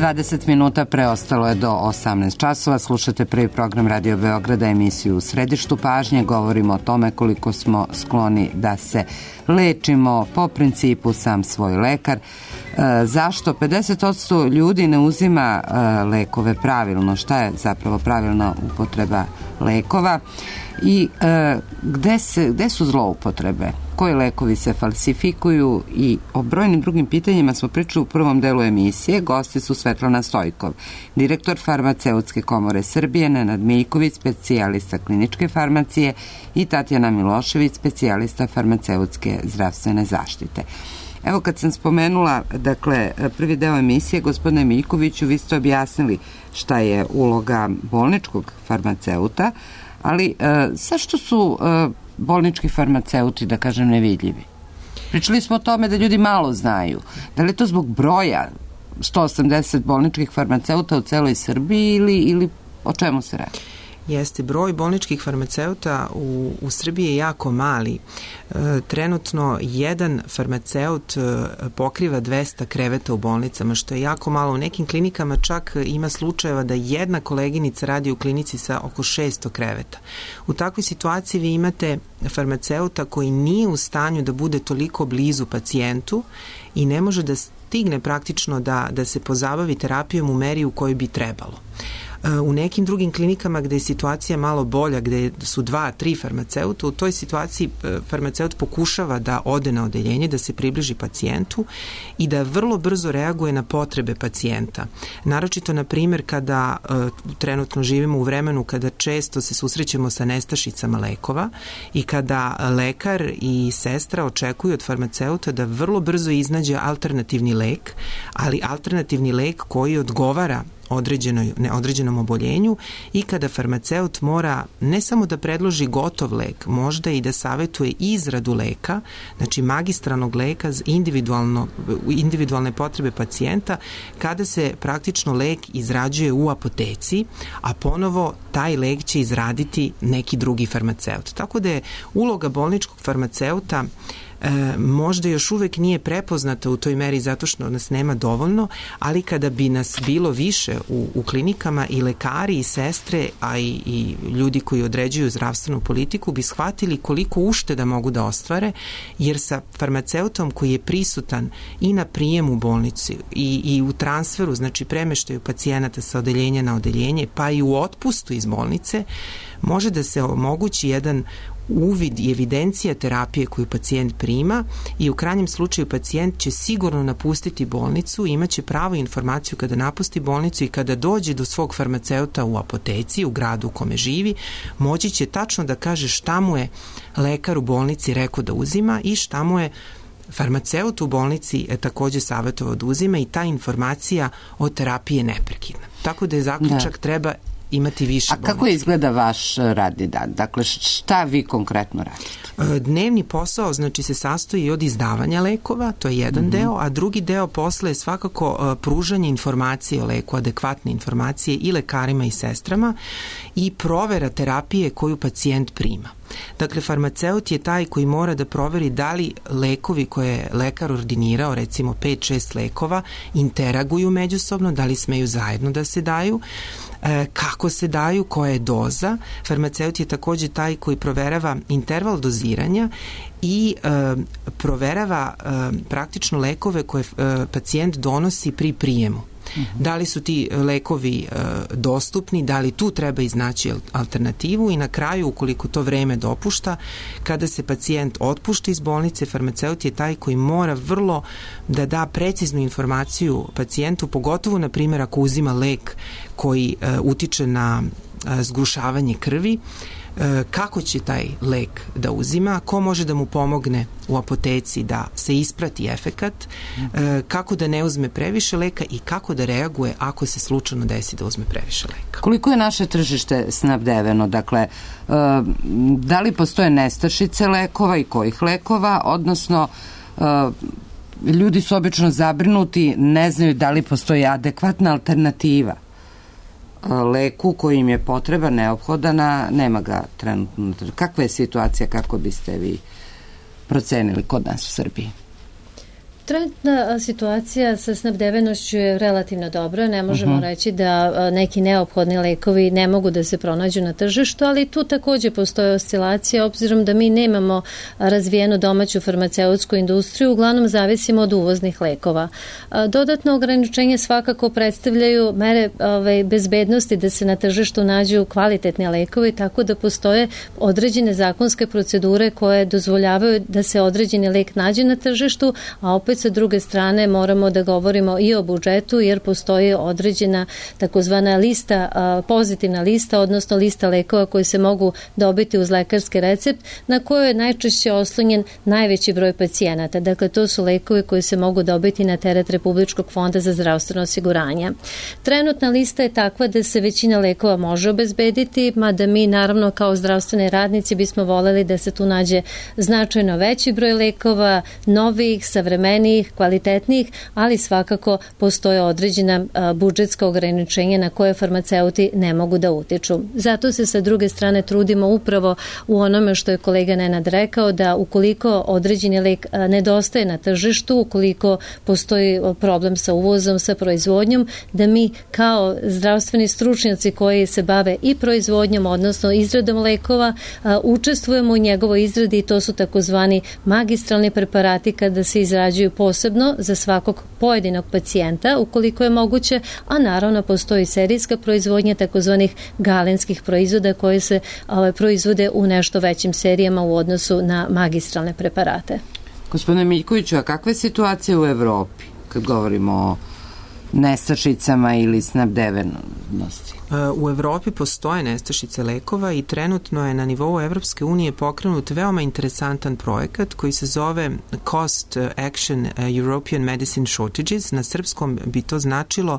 dvadeset minuta preostalo je do osamnaest časova. Slušate prvi program Radio Beograda, emisiju U središtu pažnje. Govorimo o tome koliko smo skloni da se lečimo po principu sam svoj lekar. E, zašto pedeset posto ljudi ne uzima e, lekove pravilno? Šta je zapravo pravilna upotreba lekova? I e, gde, se, gde su zloupotrebe? Koji lekovi se falsifikuju? I o brojnim drugim pitanjima smo pričali u prvom delu emisije. Gosti su Svetlana Stojkov, direktor Farmaceutske komore Srbije, Nenad Miljković, specijalista kliničke farmacije i Tatjana Milošević, specijalista farmaceutske zdravstvene zaštite. Evo, kad sam spomenula, dakle, prvi deo emisije, gospodine Miljkoviću, vi ste objasnili šta je uloga bolničkog farmaceuta, ali e, zašto su e, bolnički farmaceuti, da kažem, nevidljivi? Pričali smo o tome da ljudi malo znaju. Da li je to zbog broja sto osamdeset bolničkih farmaceuta u celoj Srbiji ili, ili o čemu se radi? Jeste, broj bolničkih farmaceuta u, u Srbiji je jako mali. E, trenutno jedan farmaceut e, pokriva dvesta kreveta u bolnicama, što je jako malo. U nekim klinikama čak ima slučajeva da jedna koleginica radi u klinici sa oko šesto kreveta. U takvoj situaciji vi imate farmaceuta koji nije u stanju da bude toliko blizu pacijentu i ne može da stigne praktično da, da se pozabavi terapijom u meri u kojoj bi trebalo. U nekim drugim klinikama gde je situacija malo bolja, gde su dva, tri farmaceuta, u toj situaciji farmaceut pokušava da ode na odeljenje, da se približi pacijentu i da vrlo brzo reaguje na potrebe pacijenta. Naročito, na primjer, kada uh, trenutno živimo u vremenu kada često se susrećemo sa nestašicama lekova i kada lekar i sestra očekuju od farmaceuta da vrlo brzo iznađe alternativni lek, ali alternativni lek koji odgovara određenoj, neodređenom oboljenju i kada farmaceut mora ne samo da predloži gotov lek, možda i da savetuje izradu leka, znači magistralnog leka za individualno, individualne potrebe pacijenta, kada se praktično lek izrađuje u apoteci, a ponovo taj lek će izraditi neki drugi farmaceut. Tako da je uloga bolničkog farmaceuta E, možda još uvek nije prepoznata u toj meri zato što nas nema dovoljno, ali kada bi nas bilo više u, u klinikama i lekari i sestre, a i, i ljudi koji određuju zdravstvenu politiku bi shvatili koliko ušteda mogu da ostvare, jer sa farmaceutom koji je prisutan i na prijemu u bolnici i, i u transferu, znači premeštaju pacijenata sa odeljenja na odeljenje, pa i u otpustu iz bolnice, može da se omogući jedan uvid i evidencija terapije koju pacijent prima i u krajnjem slučaju pacijent će sigurno napustiti bolnicu, imaće pravu informaciju kada napusti bolnicu i kada dođe do svog farmaceuta u apoteci, u gradu u kome živi, moći će tačno da kaže šta mu je lekar u bolnici rekao da uzima i šta mu je farmaceut u bolnici je takođe savjetovao da uzima i ta informacija o terapiji je neprekidna. Tako da je zaključak da. Treba imati više bolnička. A kako izgleda vaš radni dan? Dakle, šta vi konkretno radite? Dnevni posao, znači, se sastoji od izdavanja lekova, to je jedan mm-hmm. deo, a drugi deo posla je svakako pružanje informacije o leku, adekvatne informacije i lekarima i sestrama i provera terapije koju pacijent prima. Dakle, farmaceut je taj koji mora da proveri da li lekovi koje je lekar ordinirao, recimo pet šest lekova, interaguju međusobno, da li smeju zajedno da se daju, kako se daju, koja je doza. Farmaceut je takođe taj koji proverava interval doziranja i e, proverava e, praktično lekove koje e, pacijent donosi pri prijemu. Mm-hmm. Da li su ti lekovi e, dostupni, da li tu treba iznaći alternativu i na kraju, ukoliko to vreme dopušta, kada se pacijent otpušta iz bolnice, farmaceut je taj koji mora vrlo da da preciznu informaciju pacijentu, pogotovo, na primjer, ako uzima lek koji e, utiče na e, zgrušavanje krvi, kako će taj lek da uzima, ko može da mu pomogne u apoteci da se isprati efekat, kako da ne uzme previše leka i kako da reaguje ako se slučajno desi da uzme previše leka. Koliko je naše tržište snabdeveno? Dakle, da li postoje nestašice lekova i kojih lekova, odnosno ljudi su obično zabrinuti, ne znaju da li postoji adekvatna alternativa leku koji im je potreba, neophodan, a nema ga trenutno. Kakva je situacija, kako biste vi procenili kod nas u Srbiji? Trenutna situacija sa snabdevenošću je relativno dobra. Ne možemo uh-huh. reći da neki neophodni lekovi ne mogu da se pronađu na tržištu, ali tu takođe postoje oscilacija, obzirom da mi nemamo razvijenu domaću farmaceutsku industriju, uglavnom zavisimo od uvoznih lekova. Dodatno ograničenje svakako predstavljaju mere ove, bezbednosti da se na tržištu nađu kvalitetni lekovi, tako da postoje određene zakonske procedure koje dozvoljavaju da se određeni lek nađe na tržištu, a opet sa druge strane moramo da govorimo i o budžetu, jer postoji određena takozvana lista, pozitivna lista, odnosno lista lekova koji se mogu dobiti uz lekarski recept, na kojoj je najčešće oslonjen najveći broj pacijenata. Dakle, to su lekovi koji se mogu dobiti na teret Republičkog fonda za zdravstveno osiguranje. Trenutna lista je takva da se većina lekova može obezbediti, mada mi naravno kao zdravstveni radnici bismo voleli da se tu nađe značajno veći broj lekova, novih, savremenijih, kvalitetnijih, ali svakako postoje određena budžetska ograničenja na koje farmaceuti ne mogu da utiču. Zato se sa druge strane trudimo upravo u onome što je kolega Nenad rekao, da ukoliko određeni lek nedostaje na tržištu, ukoliko postoji problem sa uvozom, sa proizvodnjom, da mi kao zdravstveni stručnjaci koji se bave i proizvodnjom, odnosno izradom lekova, učestvujemo u njegovoj izradi i to su takozvani magistralni preparati kada se izrađuju posebno za svakog pojedinog pacijenta, ukoliko je moguće, a naravno postoji serijska proizvodnja takozvanih galenskih proizvoda koje se ove, proizvode u nešto većim serijama u odnosu na magistralne preparate. Gospodine Miljkoviću, a kakva je situacija u Evropi kad govorimo o nestašicama ili snabdevenosti? U Evropi postoje nestašice lekova i trenutno je na nivou Evropske unije pokrenut veoma interesantan projekat koji se zove Cost Action European Medicine Shortages. Na srpskom bi to značilo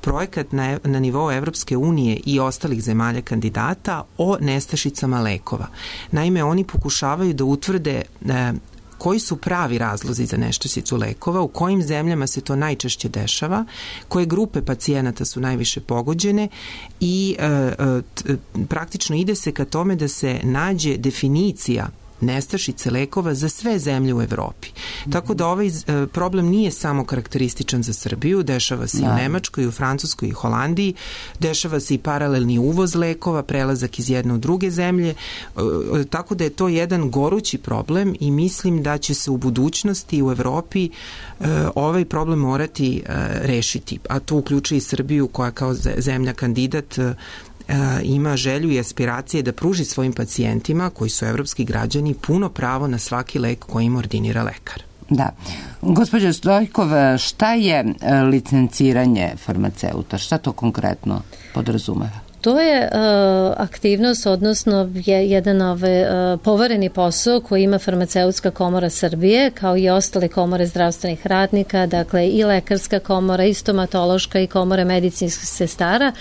projekat na, na nivou Evropske unije i ostalih zemalja kandidata o nestašicama lekova. Naime, oni pokušavaju da utvrde e, koji su pravi razlozi za nestašicu lekova, u kojim zemljama se to najčešće dešava, koje grupe pacijenata su najviše pogođene i e, e, praktično ide se ka tome da se nađe definicija nestašice lekova za sve zemlje u Evropi. Mm-hmm. Tako da ovaj problem nije samo karakterističan za Srbiju, dešava se da. i u Nemačkoj, i u Francuskoj, i Holandiji, dešava se i paralelni uvoz lekova, prelazak iz jedne u druge zemlje, tako da je to jedan gorući problem i mislim da će se u budućnosti u Evropi ovaj problem morati rešiti, a to uključuje i Srbiju koja kao zemlja kandidat ima želju i aspiracije da pruži svojim pacijentima, koji su evropski građani, puno pravo na svaki lek koji im ordinira lekar. Da. Gospođo Stojkov, šta je licenciranje farmaceuta? Šta to konkretno podrazumeva? To je uh, aktivnost, odnosno je jedan ove, uh, povereni posao koji ima Farmaceutska komora Srbije, kao i ostale komore zdravstvenih radnika, dakle i lekarska komora, i stomatološka, i komore medicinskih sestara,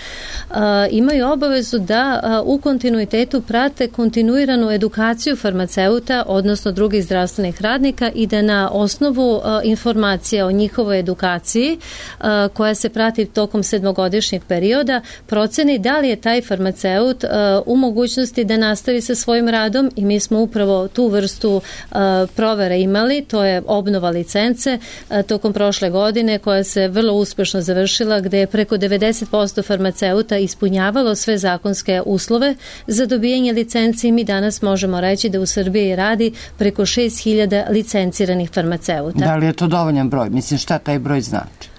uh, imaju obavezu da uh, u kontinuitetu prate kontinuiranu edukaciju farmaceuta, odnosno drugih zdravstvenih radnika, i da na osnovu uh, informacija o njihovoj edukaciji, uh, koja se prati tokom sedmogodišnjeg perioda, proceni da li je taj farmaceut uh, u mogućnosti da nastavi sa svojim radom, i mi smo upravo tu vrstu uh, provere imali, to je obnova licence uh, tokom prošle godine, koja se vrlo uspešno završila, gde je preko devedeset posto farmaceuta ispunjavalo sve zakonske uslove za dobijanje licence, i mi danas možemo reći da u Srbiji radi preko šest hiljada licenciranih farmaceuta. Da li je to dovoljan broj? Mislim, šta taj broj znači?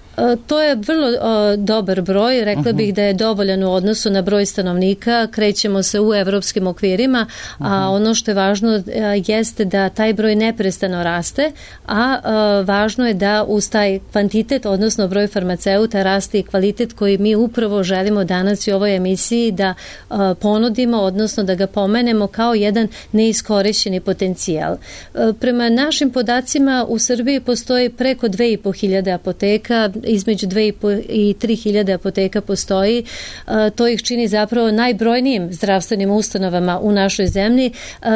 To je vrlo o, dobar broj, rekla uh-huh. bih da je dovoljan u odnosu na broj stanovnika, krećemo se u evropskim okvirima, uh-huh. a ono što je važno a, jeste da taj broj neprestano raste, a, a važno je da uz taj kvantitet, odnosno broj farmaceuta, raste i kvalitet koji mi upravo želimo danas i u ovoj emisiji da a, ponudimo, odnosno da ga pomenemo kao jedan neiskorišćeni potencijal. A, prema našim podacima u Srbiji postoji preko dve i po hiljade apoteka, između dve i tri hiljade apoteka postoji. To ih čini zapravo najbrojnijim zdravstvenim ustanovama u našoj zemlji,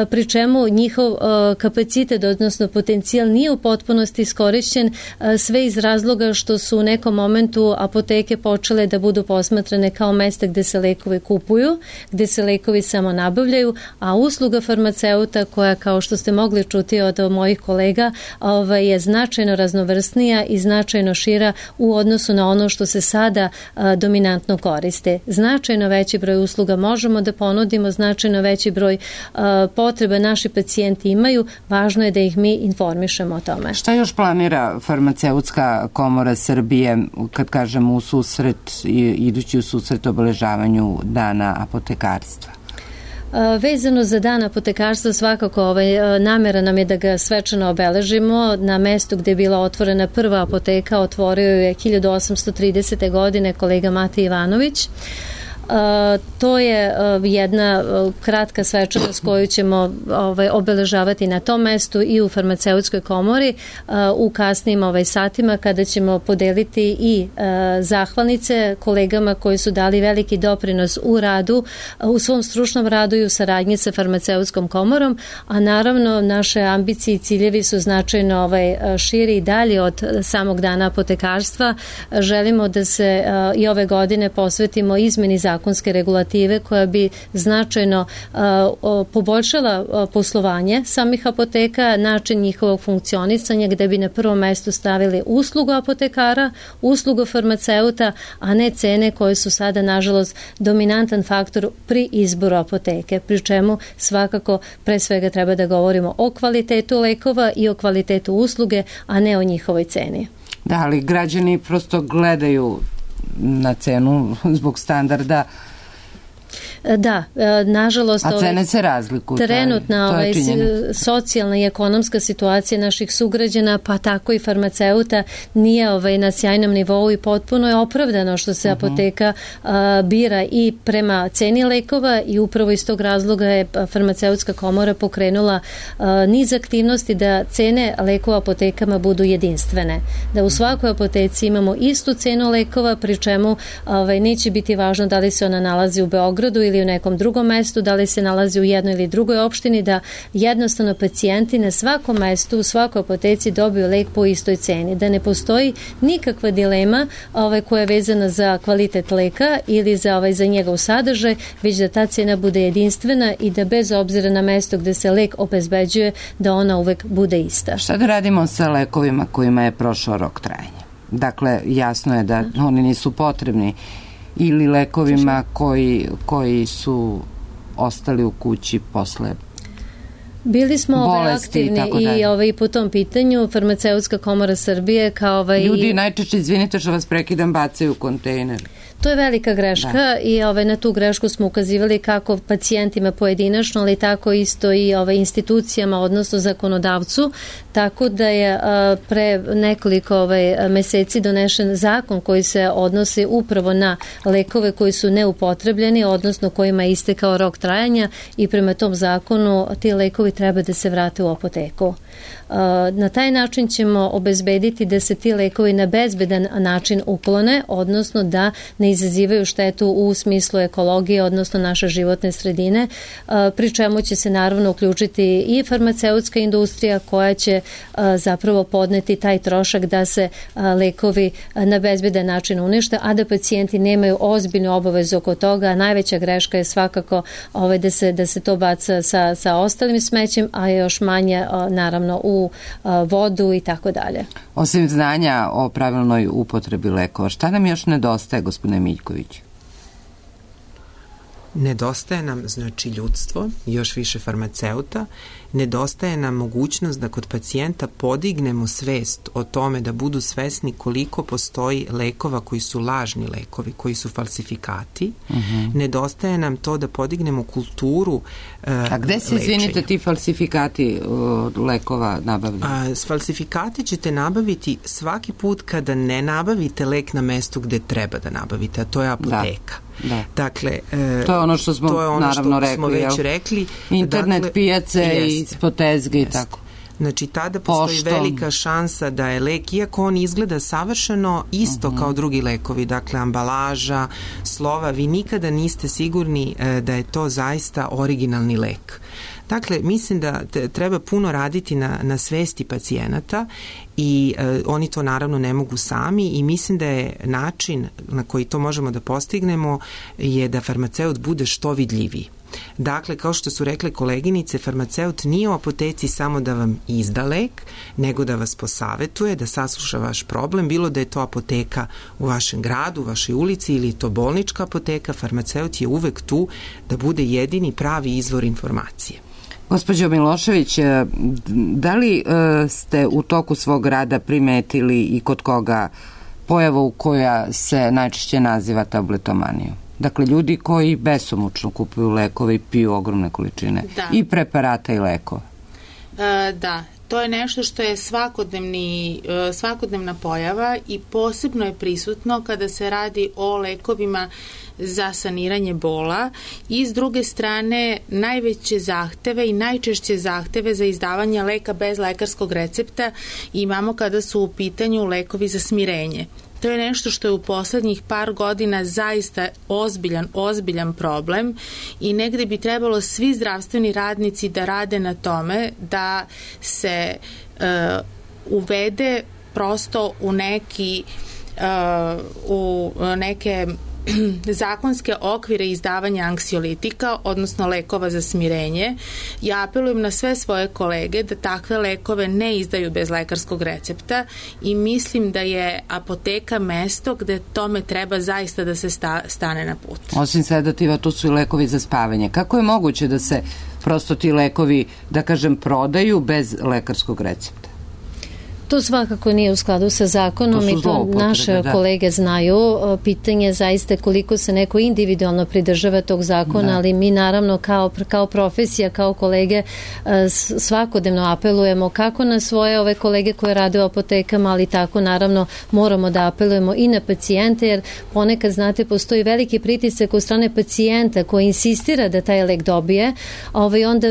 pri čemu njihov kapacitet, odnosno potencijal nije u potpunosti iskorišćen, sve iz razloga što su u nekom momentu apoteke počele da budu posmatrane kao mesta gde se lekovi kupuju, gde se lekovi samo nabavljaju, a usluga farmaceuta koja, kao što ste mogli čuti od mojih kolega, ovaj, je značajno raznovrsnija i značajno šira u odnosu na ono što se sada a, dominantno koriste. Značajno veći broj usluga možemo da ponudimo, značajno veći broj a, potreba naši pacijenti imaju, važno je da ih mi informišemo o tome. Šta još planira Farmaceutska komora Srbije, kad kažemo u susret, idući u susret obeležavanju Dana apotekarstva? Vezano za dan apotekarstva, svakako ovaj, namera nam je da ga svečano obeležimo. Na mestu gde je bila otvorena prva apoteka otvorio je hiljadu osamsto tridesete. godine kolega Mate Ivanović. Uh, to je uh, jedna uh, kratka svečanost koju ćemo ovaj, obeležavati na tom mestu i u Farmaceutskoj komori uh, u kasnim ovaj, satima, kada ćemo podeliti i uh, zahvalnice kolegama koji su dali veliki doprinos u radu, uh, u svom stručnom radu i u saradnji sa Farmaceutskom komorom, a naravno naše ambicije i ciljevi su značajno ovaj, širi i dalje od samog dana apotekarstva. Uh, želimo da se uh, i ove godine posvetimo izmeni zakona zakonske regulative koja bi značajno uh, poboljšala uh, poslovanje samih apoteka, način njihovog funkcionisanja, gde bi na prvom mestu stavili uslugu apotekara, uslugu farmaceuta, a ne cene koje su sada, nažalost, dominantan faktor pri izboru apoteke, pri čemu svakako pre svega treba da govorimo o kvalitetu lekova i o kvalitetu usluge, a ne o njihovoj ceni. Da, ali građani prosto gledaju na cenu zbog standarda. Da, nažalost... A cene se razlikuju. Trenutna ovaj, socijalna i ekonomska situacija naših sugrađana, pa tako i farmaceuta, nije ovaj, na sjajnom nivou i potpuno je opravdano što se uh-huh. apoteka a, bira i prema ceni lekova i upravo iz tog razloga je Farmaceutska komora pokrenula a, niz aktivnosti da cene lekova apotekama budu jedinstvene. Da u svakoj apoteci imamo istu cenu lekova, pri čemu ovaj, neće biti važno da li se ona nalazi u Beogradu ili u nekom drugom mestu, da li se nalazi u jednoj ili drugoj opštini, da jednostavno pacijenti na svakom mestu, u svakoj apoteci dobiju lek po istoj ceni, da ne postoji nikakva dilema ovaj, koja je vezana za kvalitet leka ili za, ovaj, za njegov sadržaj, već da ta cena bude jedinstvena i da bez obzira na mesto gde se lek obezbeđuje, da ona uvek bude ista. Šta da radimo sa lekovima kojima je prošao rok trajanja? Dakle, jasno je da oni nisu potrebni, ili lekovima koji, koji su ostali u kući posle Bili smo ovaj aktivni i, i ovaj, po tom pitanju. Farmaceutska komora Srbije kao ovaj... Ljudi najčešće, izvinite što vas prekidam, bacaju u kontejner. To je velika greška da. i ovaj, na tu grešku smo ukazivali kako pacijentima pojedinačno, ali tako isto i ovaj, institucijama, odnosno zakonodavcu, tako da je a, pre nekoliko ovaj, meseci donešen zakon koji se odnosi upravo na lekove koji su neupotrebljeni, odnosno kojima je istekao rok trajanja i prema tom zakonu ti lekovi treba da se vrate u apoteku. Na taj način ćemo obezbediti da se ti lekovi na bezbedan način uklone, odnosno da ne izazivaju štetu u smislu ekologije, odnosno naše životne sredine, pri čemu će se naravno uključiti i farmaceutska industrija koja će zapravo podneti taj trošak da se lekovi na bezbedan način unište, a da pacijenti nemaju ozbiljnu obavezu oko toga. Najveća greška je svakako ovaj, da, se, da se to baca sa, sa ostalim smećem, a još manje naravno u vodu i tako dalje. Osim znanja o pravilnoj upotrebi lekova, šta nam još nedostaje, gospodine Miljković? Nedostaje nam, znači, ljudstvo, još više farmaceuta, nedostaje nam mogućnost da kod pacijenta podignemo svest o tome, da budu svesni koliko postoji lekova koji su lažni lekovi, koji su falsifikati. Uh-huh. Nedostaje nam to da podignemo kulturu uh, A gde se, izvinite, ti falsifikati uh, lekova nabavljaju? A, falsifikati ćete nabaviti svaki put kada ne nabavite lek na mestu gde treba da nabavite, a to je apoteka. Da. Da. Dakle, e, to je ono što smo, to je ono naravno, što rekli, smo već rekli. Internet, dakle, pijace i spotezge i tako. Znači, tada postoji Pošto... velika šansa da je lek, iako on izgleda savršeno, isto uh-huh. kao drugi lekovi, dakle, ambalaža, slova, vi nikada niste sigurni e, da je to zaista originalni lek. Dakle, mislim da te, treba puno raditi na, na svesti pacijenata i e, oni to naravno ne mogu sami i mislim da je način na koji to možemo da postignemo je da farmaceut bude što vidljiviji. Dakle, kao što su rekle koleginice, farmaceut nije u apoteci samo da vam izda lek, nego da vas posavetuje, da sasluša vaš problem, bilo da je to apoteka u vašem gradu, u vašoj ulici ili je to bolnička apoteka, farmaceut je uvek tu da bude jedini pravi izvor informacije. Gospođo Milošević, da li ste u toku svog rada primetili i kod koga pojavu koja se najčešće naziva tabletomanijom? Dakle, ljudi koji besomučno kupuju lekove i piju ogromne količine da. I preparata i lekova. E, da, to je nešto što je svakodnevni, svakodnevna pojava i posebno je prisutno kada se radi o lekovima za saniranje bola i s druge strane najveće zahteve i najčešće zahteve za izdavanje leka bez lekarskog recepta imamo kada su u pitanju lekovi za smirenje. To je nešto što je u poslednjih par godina zaista ozbiljan, ozbiljan problem i negde bi trebalo svi zdravstveni radnici da rade na tome da se uh, uvede prosto u neki uh, u neke zakonske okvire izdavanja anksiolitika, odnosno lekova za smirenje. Ja apelujem na sve svoje kolege da takve lekove ne izdaju bez lekarskog recepta i mislim da je apoteka mesto gde tome treba zaista da se sta, stane na put. Osim sedativa, tu su i lekovi za spavanje. Kako je moguće da se prosto ti lekovi, da kažem, prodaju bez lekarskog recepta? To svakako nije u skladu sa zakonom i to naše da. kolege znaju. Pitanje je zaista koliko se neko individualno pridržava tog zakona, da. ali mi naravno kao, kao profesija, kao kolege svakodnevno apelujemo kako na svoje ove kolege koje rade u apotekama, ali tako naravno moramo da apelujemo i na pacijente, jer ponekad, znate, postoji veliki pritisak od strane pacijenta koji insistira da taj lek dobije, a ovaj onda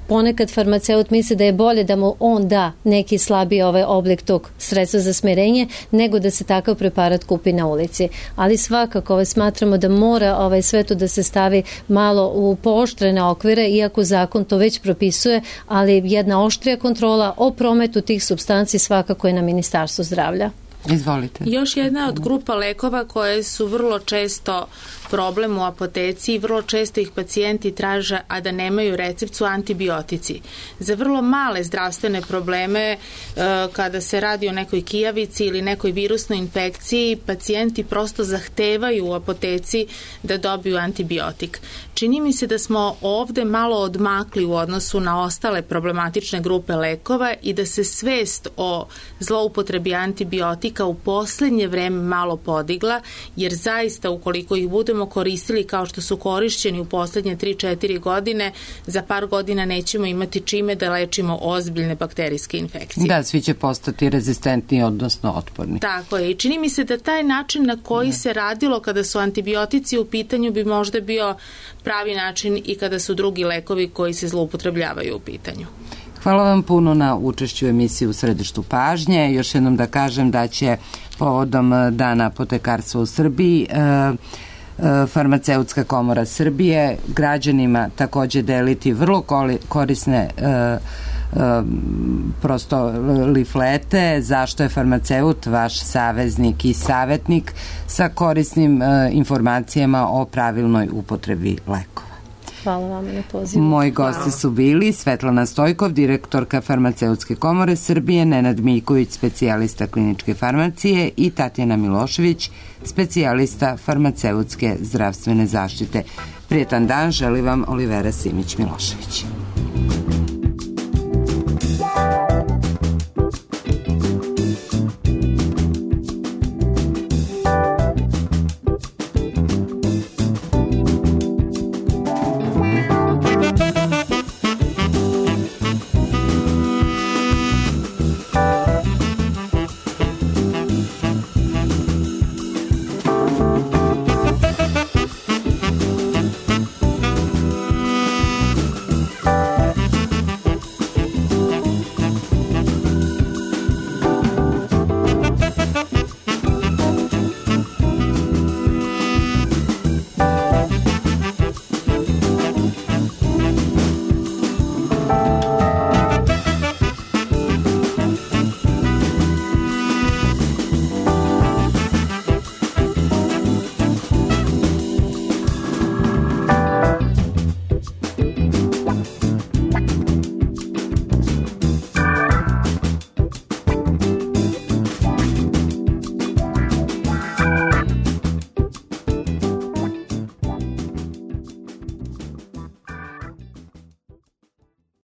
ponekad farmaceut misli da je bolje da mu on da neki slabiji ovaj oblik tog sredstva za smirenje nego da se takav preparat kupi na ulici. Ali svakako ovaj, smatramo da mora ovaj, sve to da se stavi malo u pooštrene okvire, iako zakon to već propisuje, ali jedna oštrija kontrola o prometu tih supstanci svakako je na Ministarstvu zdravlja. Izvolite. Još jedna od grupa lekova koje su vrlo često problem u apoteci i vrlo često ih pacijenti traže, a da nemaju recept, su antibiotici. Za vrlo male zdravstvene probleme, e, kada se radi o nekoj kijavici ili nekoj virusnoj infekciji, pacijenti prosto zahtevaju u apoteci da dobiju antibiotik. Čini mi se da smo ovde malo odmakli u odnosu na ostale problematične grupe lekova i da se svest o zloupotrebi antibiotika u poslednje vreme malo podigla, jer zaista ukoliko ih budemo koristili kao što su korišćeni u poslednje tri četiri godine, za par godina nećemo imati čime da lečimo ozbiljne bakterijske infekcije. Da, svi će postati rezistentni, odnosno otporni. Tako je. I čini mi se da taj način na koji se radilo kada su antibiotici u pitanju bi možda bio pravi način i kada su drugi lekovi koji se zloupotrebljavaju u pitanju. Hvala vam puno na učešću u emisiji U središtu pažnje. Još jednom da kažem da će povodom Dana apotekarstva u Srbiji Farmaceutska komora Srbije građanima takođe deliti vrlo korisne prosto liflete zašto je farmaceut vaš saveznik i savetnik sa korisnim informacijama o pravilnoj upotrebi lekova. Hvala vam na pozivu. Moji gosti su bili Svetlana Stojkov, direktorka Farmaceutske komore Srbije, Nenad Miljković, specijalista kliničke farmacije i Tatjana Milošević, specijalista farmaceutske zdravstvene zaštite. Prijetan dan želi vam Olivera Simić-Milošević.